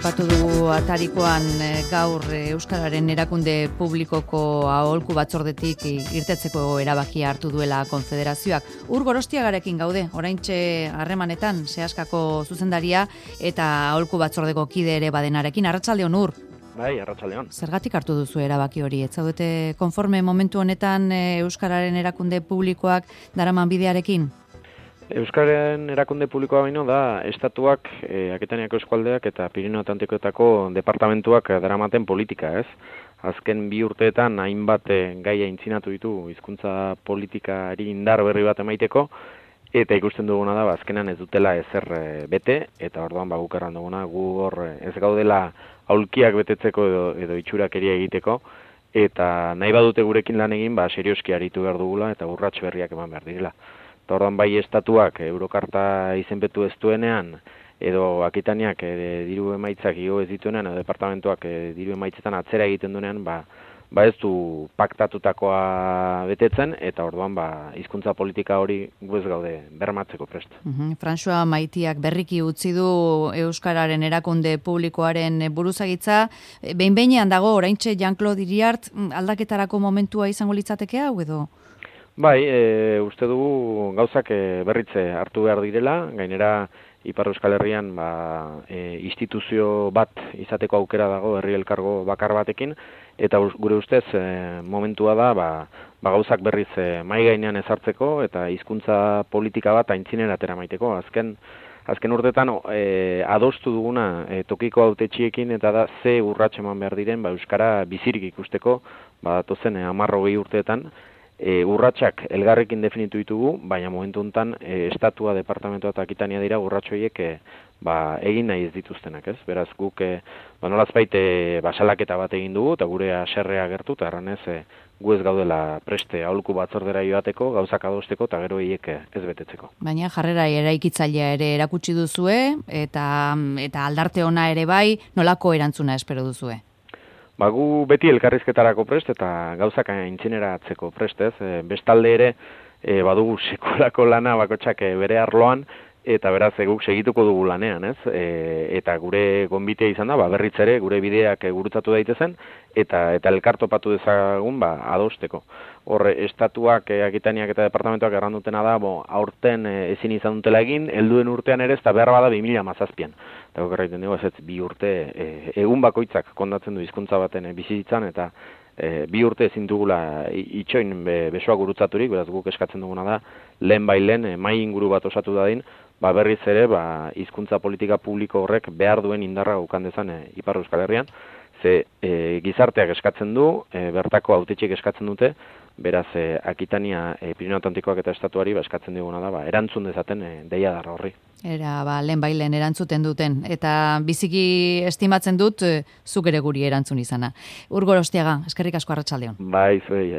aipatu dugu atarikoan gaur Euskararen erakunde publikoko aholku batzordetik irtetzeko erabakia hartu duela konfederazioak. Ur Gorostiagarekin gaude, oraintxe harremanetan Seaskako zuzendaria eta aholku batzordeko kide ere badenarekin. Arratsaldeon, Ur. Bai, arratsaldeon. Zergatik hartu duzu erabaki hori? Ez zaudete konforme momentu honetan Euskararen erakunde publikoak daraman bidearekin? Euskararen erakunde publikoa baino da estatuak, Akitaniako eskualdeak eta Pirineo Atlantikoetako departamentuak daramaten politika, ez? Azken 2 urteetan hainbat gaia aintzinatu ditu hizkuntza politikari indar berri bat emaiteko, eta ikusten duguna da, azkenan ez dutela ezer bete, eta orduan guk erran duguna, gu hor ez gaudela aulkiak betetzeko edo itxurakeria egiteko, eta nahi badute gurekin lan egin, serioski aritu behar dugula eta urrats berriak eman behar direla. Eta orduan bai estatuak Eurokarta izenpetu ez duenean, edo Akitaniak diru emaitzak igo ez dituenean, edo departamentuak diru emaitzetan atzera egiten duenean, ez du paktatutakoa betetzen, eta orduan hizkuntza politika hori gu ez gaude bermatzeko prest. François Maitiak berriki utzi du Euskararen erakunde publikoaren buruzagitza. Behin-behinean dago, oraintxe Jean-Claude Iriart aldaketarako momentua izango litzateke hau edo? Bai, uste dugu gauzak berritze hartu behar direla, gainera Ipar Euskal Herrian instituzio bat izateko aukera dago herri elkargo bakar batekin, eta gure ustez momentua da gauzak berriz mahai gainean ezartzeko eta hizkuntza politika bat aintzinera ateramateko. Azken urtetan adostu duguna tokiko hautetxiekin eta da ze urrats eman behar diren euskara bizirik ikusteko datozen 10-20 urteetan. Urratsak elgarrekin definitu ditugu, baina momentu honetan estatua, departamentoa eta Akitania dira urrats horiek egin nahi ez dituztenak, ez? Beraz guk nolazbait salaketa bat egin dugu eta gure haserrea gertu eta erranez gu ez gaudela preste aholku batzordera joateko, gauzak adosteko eta gero hiek ez betetzeko. Baina jarrera eraikitzailea ere erakutsi duzue eta aldarte ona ere bai, nolako erantzuna espero duzue? Gu beti elkarrizketarako prest eta gauzak aintzineratzeko prest, ez? Bestalde ere badugu sekulako lana bakotsak bere arloan, eta beraz guk segituko dugu lanean, ez? Eta gure gonbitea izan da, berriz ere gure bideak gurutzatu daitezen, eta elkartopatu dezagun adosteko. Hor, estatuak, Akitaniak eta departamentoak errandutena da, aurten ezin izan dutela egin, helduen urtean ere, eta behar bada 2017an. Eta guk erraiten dugu, ez 2 urte, egun bakoitzak kondatzen du hizkuntza baten bizitzan, eta 2 urte ezin dugula itxoin besoa gurutzaturik, beraz guk eskatzen duguna da, lehen mai inguru bat osatu dadin, berriz ere, hizkuntza politika publiko horrek behar duen indarra ukan dezan Ipar Euskal Herrian, ze gizarteak eskatzen du, bertako hautetxiek eskatzen dute, beraz Akitania, Pirineo Atlantikoak eta estatuari eskatzen diguna da, erantzun dezaten deia darra horri. Era, lehen erantzuten duten, eta biziki estimatzen dut, zuk ere guri erantzun izana. Ur Gorostiaga, eskerrik asko arratsaldeon. Bai, zuei,